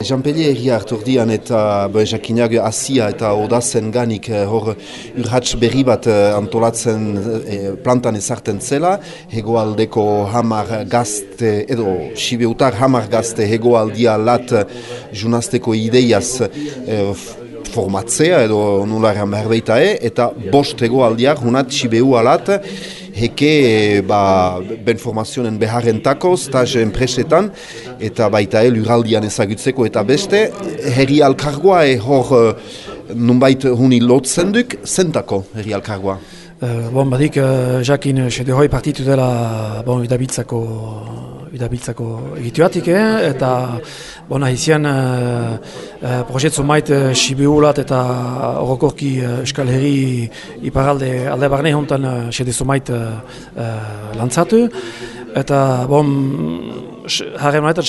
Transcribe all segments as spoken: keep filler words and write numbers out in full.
Jean-Pellier erria hartordian eta jakinak Asia eta Odazen ganik hor urhats berri bat antolatzen plantan ezarten zela, hegoaldeko hamar gazte, edo Sibeutar hamar gazte hegoaldia lat junazteko ideiaz formatzea edo nularean behar beitae, eta bost hegoaldiak hunat Sibeu alat heke ba, ben formazionen beharrentako, stage enpresetan, eta baita el uraldian ezagutzeko eta beste, herri alkargoa e hor nunbait huni lotzen duk, zentako herri alkargoa? Uh, bon, badik, uh, jakin sede hoi partitu dela bon, idabiltzako, idabiltzako egituatik, eh? Eta bon, ahizian uh, uh, projetzu mait uh, Sibeulat eta orokorki uh, Euskal Herri iparalde alde barne hontan uh, sede zumait uh, uh, lantzatu. Eta bon, harren honetan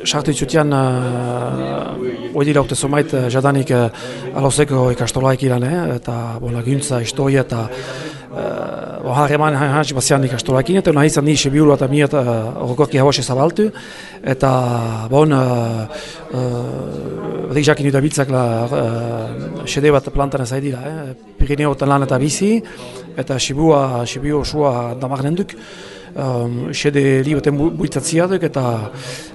sartu itzutian uh, oedi laukte zumait uh, jadanik uh, alozeko ikastolaik ilan, eh? Eta bon, laguntza, historia eta Uh, harreman hansi bazian ikastolakin, eta nahi izan ni Sibiulu eta miat orokorki uh, hauase zabaltu, eta bon, uh, uh, badik jakin udabiltzak la uh, sede bat plantan ez dira, eh? Pirineotan lan eta bizi, eta Sibua, Sibiu osua damarren duk, um, sede li baten buitzatzi duk, eta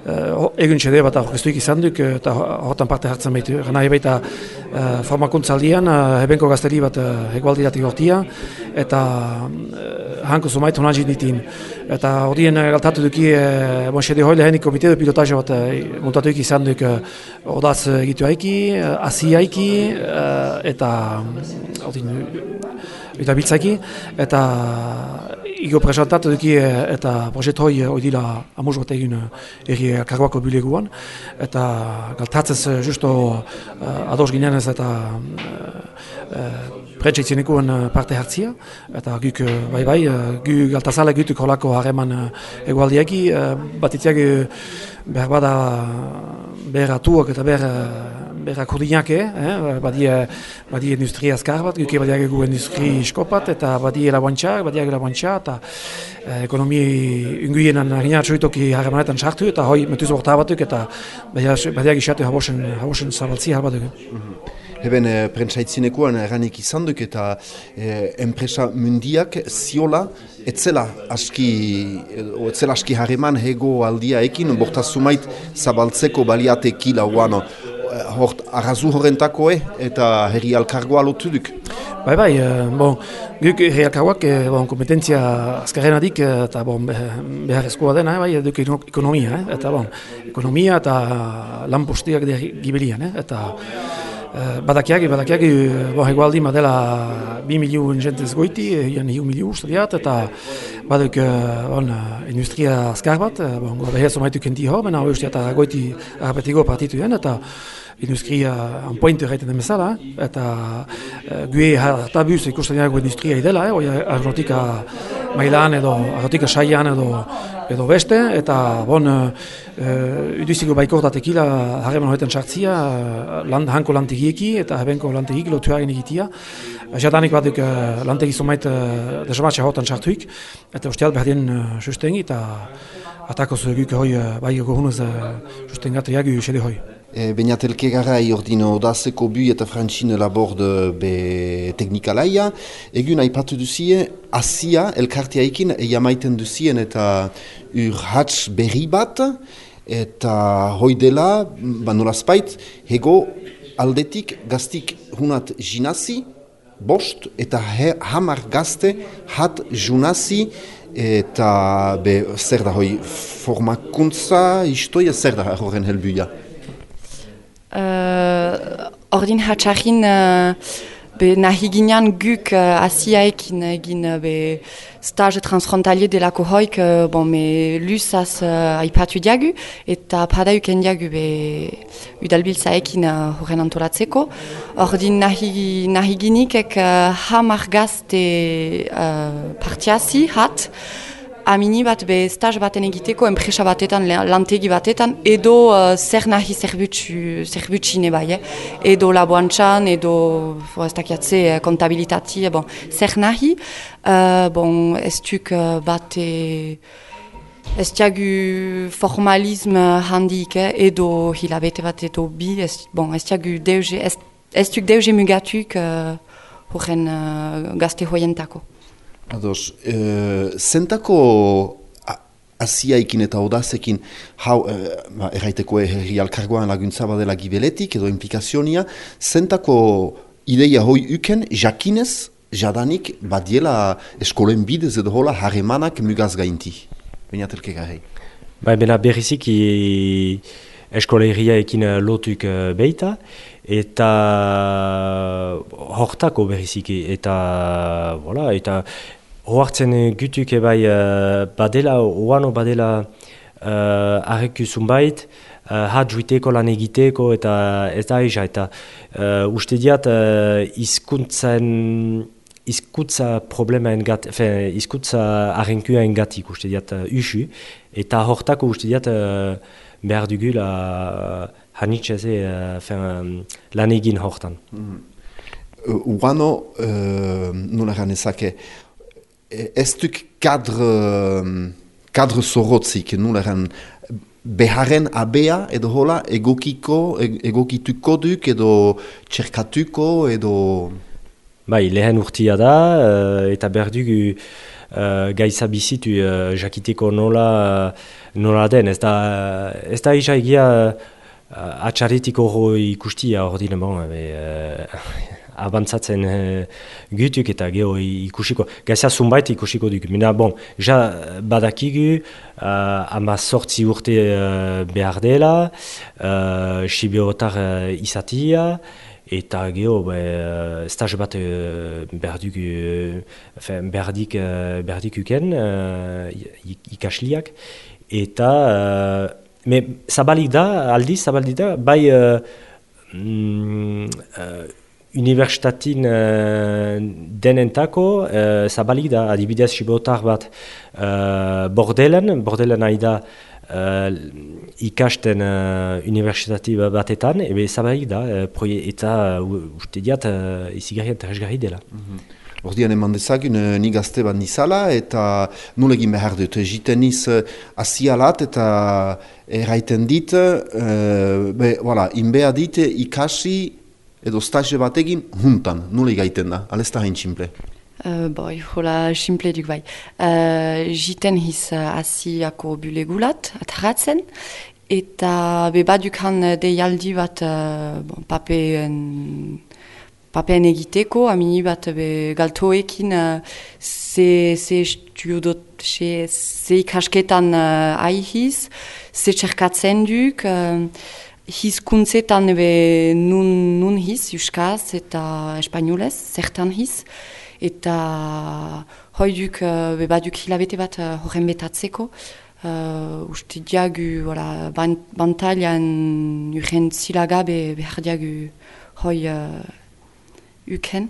uh, egun sede bat aurkeztuik izan duk, eta horretan parte hartzen behitu. Nahi baita uh, formakuntzaldian, uh, hebenko gazteri bat uh, hegoaldiratik hortia, eta uh, hanko zumait honan ditin. Eta horien uh, galtatu duki, uh, bon, sede hoi lehenik komite de pilotaje bat uh, montatuik izan duk uh, odaz egitu haiki, uh, asi haiki, uh, eta ordin, eta biltzaki, eta igo presentatu duki eta proiektu hoi oidila amuz bat egin erri kargoako bileguan, eta galtatzez justo uh, ados ginenez eta uh, uh, pretsaitzenekuen parte hartzia, eta guk bai bai, gu galtazale gutuk holako harreman egualdiaki, uh, batitziak behar bada behar atuak eta behar behar akordinak, eh? badie, badie industria azkar bat, guk badiak egu industri iskopat, eta badie laboantxak, badiak laboantxak, eta eh, ekonomi unguienan harinat soitoki harremanetan sartu, eta hoi metuz borta batuk, eta badiak isatu habosen, habosen zabaltzi harbatuk. Mm-hmm. Eben, e, prentsaitzinekuan eranik izan duk eta e, enpresa mundiak ziola etzela aski, etzela aski harreman hego aldia ekin, bortazumait zabaltzeko baliateki lauan hort arrazu horrentako eh, eta herri alkargoa lotu duk. Bai, bai, bon, guk herri alkargoak bon, kompetentzia azkarren adik eta bon, beharrezkoa dena, bai, duk ekonomia, eh, eta bon, ekonomia eta lan postiak gibelian, eh, eta Badakiagi, badakiagi, bon, egualdi madela bi miliun jentez goiti, egan hiu miliu uste diat, eta baduk bon, industria azkar bat, bon, beher somaitu kenti hor, bena hori usteat goiti arpetigo partitu den, eta industria anpointe gaiten den bezala, eta uh, gue hartabuz ikusten dago industria idela, eh, aerotika mailan edo aerotika saian edo, edo beste, eta bon, uh, uduziko baikortatekila harreman horretan sartzia, land, hanko lantegieki eta hebenko lantegik lotuaren egitia. Jadanik baduk uh, lantegi zomait uh, desamatxe horretan sartuik, eta usteat behar den uh, sustengi, eta atakoz guk hoi uh, bai gohunuz uh, sustengatu jagu sede hoi. E, Beñatelke garai ordino odazeko bu eta frantxine labord be teknikalaia. Egun aipatu duzie, Asia elkartiaikin eiamaiten duzien eta urhats berri bat, eta hoi dela, banolazpait, hego aldetik gaztik hunat jinazi, bost, eta he, hamar gazte hat junazi, eta be, zer da hoi formakuntza, istoia zer da horren helbuia? Uh, ordin hatxarrin uh, be nahi ginean guk uh, asiaekin egin uh, be stage transfrontalier delako hoik uh, bon, me lusaz uh, aipatu diagu eta padauken diagu be udalbiltzaekin uh, horren antolatzeko. Ordin nahi, nahi ginikek uh, hamar gazte uh, partiazi hat, amini bat be stage baten egiteko, enpresa batetan, lantegi batetan, edo uh, zer nahi zerbutxine bai, eh? Edo laboantxan, edo ez dakiatze kontabilitati, bon, zer nahi, uh, bon, ez duk uh, bate Ez diagu formalisme handik, eh? Edo hilabete bat edo bi, ez, bon, ez diagu deuge, ez, ez duk deuge mugatuk uh, horren uh, gazte hoientako. Ados, uh, zentako asiaikin eta odazekin, hau, uh, ba, erraiteko herri alkargoan laguntza badela gibeletik edo implikazionia, zentako ideia hoi uken, jakinez, jadanik, badiela eskolen bidez edo hola harremanak mugaz gainti. Bainatelke garei. Ba, bena berriziki eskolegiaekin lotuk beita, eta hortako berriziki, eta, voilà, eta hoartzen gutuk ebai badela, oano badela uh, arreku zunbait, uh, hat juiteko lan egiteko, eta ez da eza, eta uh, uste diat uh, izkuntzen izkutza problema engat, enfin, izkutza arrenkua engatik uste diat uh, usu, eta hortako uste diat uh, behar dugula uh, hanitxeze uh, um, lan egin hortan. Mm. Uh, Uano, uh, nola ganezake, ez duk kadre, kadre zorrotzik, nola gan, beharren abea edo hola egokiko, egokituko duk edo txerkatuko edo... Bai, lehen urtia da, uh, eta behar dugu uh, gaiza bizitu uh, jakiteko nola, uh, nola den. Ez da, ez da isa egia uh, atxarretik horro ikustia hor dine, bon, uh, abantzatzen uh, gutuk eta geho ikusiko. Gaiza zunbait ikusiko duk. Mina, bon, ja badakigu uh, ama sortzi urte uh, behar dela, uh, siberotar uh, izatia, eta geho, uh, stage bat uh, berdik, uh, berdik, uh, berdik uken, uh, ikasliak, eta uh, me, zabalik da, aldiz zabalik da, bai uh, mm, uh, universitatin uh, denentako uh, zabalik da, adibidez sibotar bat uh, bordelen, bordelen nahi da Uh, ikasten uh, universitati batetan, ebe zabalik da, uh, eta uh, uste diat uh, izigarri eta esgarri dela. Mm-hmm. Ordian eman dezagun, uh, ni gazte bat nizala, eta nulegin behar dut, jiten niz uh, asialat eta erraiten dit, uh, be, voilà, inbea dit ikasi edo stage bat egin huntan, nule gaiten da, alesta hain tximple. Uh, boi, hola, simple duk bai. Uh, jiten hiz uh, asiako bulegulat, atarratzen, eta be badukan deialdi bat uh, bon, papeen, papeen egiteko, amini bat be galtoekin uh, ze, ze studiot, ze, ze ikasketan uh, aihiz, ze txerkatzen duk, uh, hizkuntzetan be nun, nun hiz, euskaz eta espainolez, zertan hiz, eta hoiduk uh, baduk hilabete bat uh, horren betatzeko. Uh, uste diagu voilà, ban, bantailan urren zilagabe behar diagu hoi uh, uken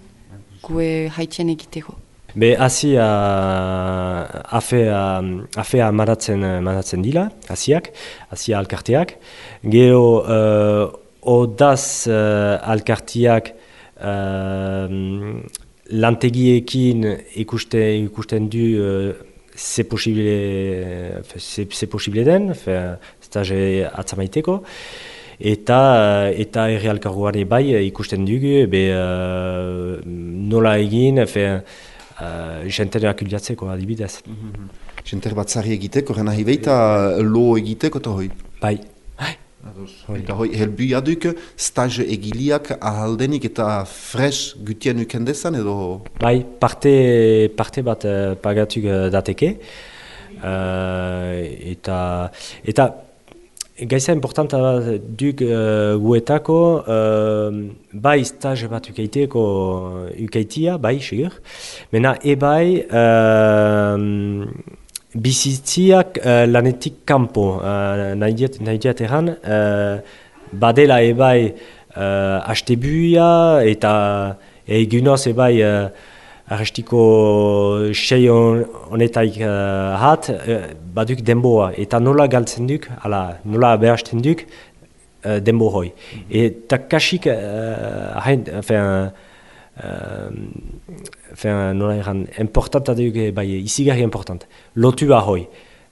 gue haitien egiteko. Be hasi afea afea maratzen maratzen dila, hasiak, hasia alkarteak. Gero uh, odaz uh, alkarteak uh, lantegiekin ikuste, ikusten du uh, ze posible, ze posible den, stage atzamaiteko, eta eta herri alkargoan bai ikusten dugu, be uh, nola egin, fe, uh, jenter akuljatzeko adibidez. Mm-hmm. Jenter batzari egiteko, rena hibeita lo egiteko eta hoi? Bai. Eta hoi, helbuia duk, stage egiliak ahaldenik eta fresh gutien ukendezan edo? Bai, parte, parte bat uh, pagatuk uh, dateke. Uh, eta, eta gaiza importanta duk uh, guetako, uh, bai stage bat ukaiteko ukaitia, bai, segur. Mena ebai, uh, bizitziak uh, lanetik kanpo, uh, nahi diat erran, uh, badela ebai uh, astebuia eta egunoz ebai uh, arrestiko sei honetaik uh, hat, uh, baduk denboa, eta nola galtzen duk, ala, nola behasten duk, uh, denbo hoi. Mm-hmm. Eta kasik, uh, hain, enfin, uh, Enfin, nola eran, importanta dugu, bai, izigarri important. Lotua hoi.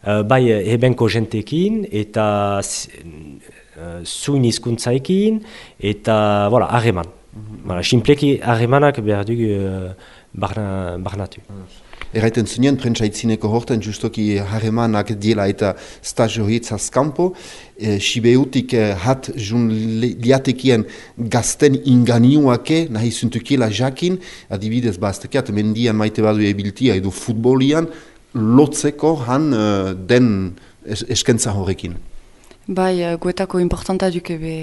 uh, bai ebenko jentekin, eta uh, zuin hizkuntzaekin, eta voilà, harreman. Mm-hmm. Voilà, simpleki harremanak behar dugu uh, barna, barnatu. Erraiten zunean, prentsaitzineko horten justoki harremanak diela eta stazio horitzaz kanpo, e, Sibeutik e, hat jun liatekien gazten inganiuake nahi zuntukela jakin, adibidez baztekiat, mendian maite badu ebiltia edo futbolian, lotzeko han e, den es, eskentza horrekin. Bai, uh, guetako importanta duke be.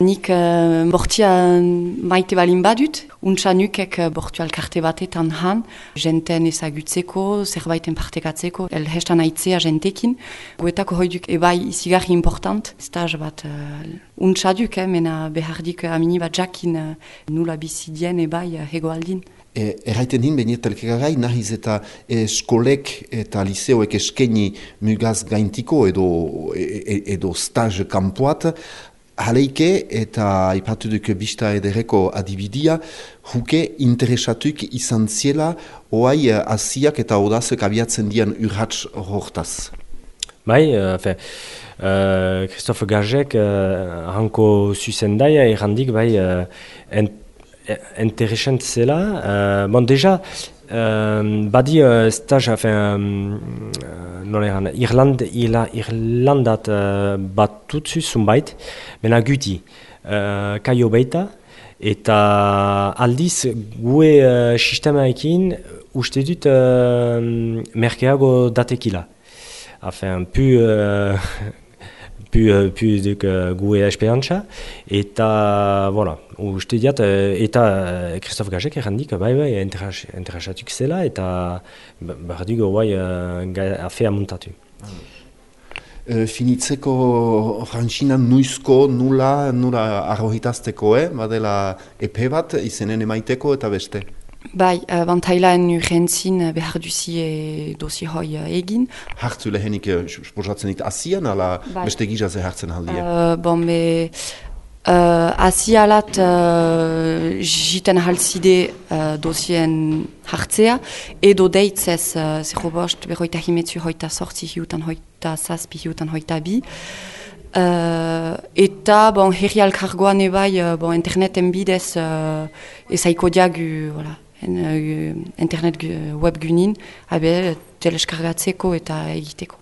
Nik uh, bortia maite balin badut, untsa nukek uh, bortu alkarte batetan han, jenten ezagutzeko, zerbaiten partekatzeko, el hestan aitzea jentekin. Guetako hoi duk ebai izigarri important, staz bat uh, untsa duk, eh, mena behardik uh, amini bat jakin uh, nula bizidien ebai uh, hegoaldin. E, erraiten hin, benietelkegarai, nahiz eta eskolek eta liseoek eskeni mugaz gaintiko edo, e, edo stage kampoat, haleike eta ipatu duk bista edereko adibidia, huke interesatuk izan ziela oai asiak eta odazek abiatzen dian urratz hortaz. Bai, uh, fe, uh, Christophe Gajek uh, hanko zuzendaia errandik bai uh, ent interesant zela. Uh, bon, deja, uh, badi uh, stage, enfin, uh, nola eran, Irland, ila, Irlandat uh, bat tutsu zunbait, mena guti, uh, kaio beita, eta aldiz gue uh, sistemaekin uste dut uh, merkeago datekila. Enfin, pu... Uh, pu, pu duk uh, gue esperantza, eta, voilà, uste diat, eta Christophe Gajek errandik, bai, bai, interesatuk zela, eta behar dugu, bai, uh, afea muntatu. Uh, finitzeko frantzinan nuizko nula, nula arrohitazteko, eh? Badela epe bat, izenen emaiteko eta beste. Bai, uh, bantailaen urgentzin behar duzie dosi hoi uh, egin. Hartzu lehenik, sposatzen dit asian, ala bai. Beste gizaze hartzen aldia? Uh, bon, be, uh, asialat uh, jiten halzide uh, dosien hartzea, edo deitzez, uh, zero bost, berroita himetzu hoita sortzi hiutan hoita zazpi hiutan hoita bi. Uh, eta bon, herri alkargoan ebai uh, bon, interneten bidez uh, ezaiko diagu, voilà. En, uh, internet gu, web gunin, habe teleskargatzeko eta egiteko.